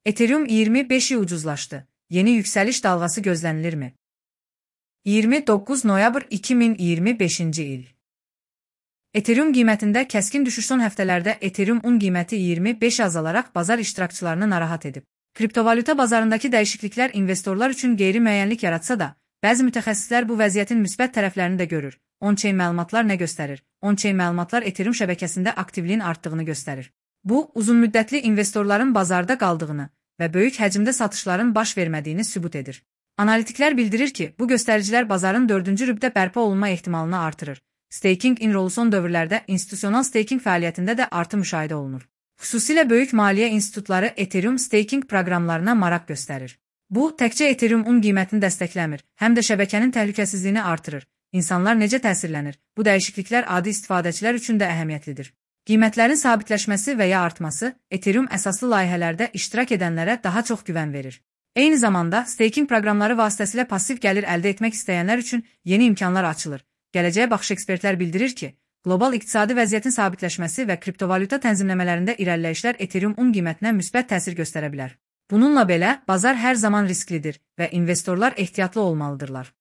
Ethereum 25 ucuzlaşdı. Yeni yükseliş dalgası gözlenilirmi? 29 noyabr 2025 il. Ethereum qiymətində kəskin düşüş son həftələrdə Ethereum un qiyməti 25 azalaraq bazar iştirakçılarını narahat edib. Kriptovalyuta bazarındakı dəyişikliklər investorlar üçün qeyri-müəyyənlik yaratsa da, bəzi mütəxəssislər bu vəziyyətin müsbət tərəflərini də görür. On-chain məlumatlar nə göstərir? On-chain məlumatlar Ethereum şəbəkəsində aktivliyin artdığını göstərir. Bu, uzunmüddətli investorların bazarda qaldığını və böyük həcmdə satışların baş vermədiyini sübut edir. Analitiklər bildirir ki, bu göstəricilər bazarın 4-cü rübdə bərpa olunma ehtimalını artırır. Staking in-rolu son dövrlərdə institusional staking fəaliyyətində də artım müşahidə olunur. Xüsusilə böyük maliyyə institutları Ethereum staking proqramlarına maraq göstərir. Bu, təkcə Ethereum un qiymətini dəstəkləmir, həm də şəbəkənin təhlükəsizliyini artırır. İnsanlar necə təsirlənir? Bu dəyişikliklər adi istifadəçilər üçün də əhəmiyyətlidir. Qiymətlərin sabitləşməsi və ya artması Ethereum əsaslı layihələrdə iştirak edənlərə daha çox güvən verir. Eyni zamanda, staking proqramları vasitəsilə passiv gəlir əldə etmək istəyənlər üçün yeni imkanlar açılır. Gələcəyə baxış ekspertlər bildirir ki, qlobal iqtisadi vəziyyətin sabitləşməsi və kriptovalyuta tənzimləmələrində irəliləyişlər Ethereum un qiymətinə müsbət təsir göstərə bilər. Bununla belə, bazar hər zaman risklidir və investorlar ehtiyatlı olmalıdırlar.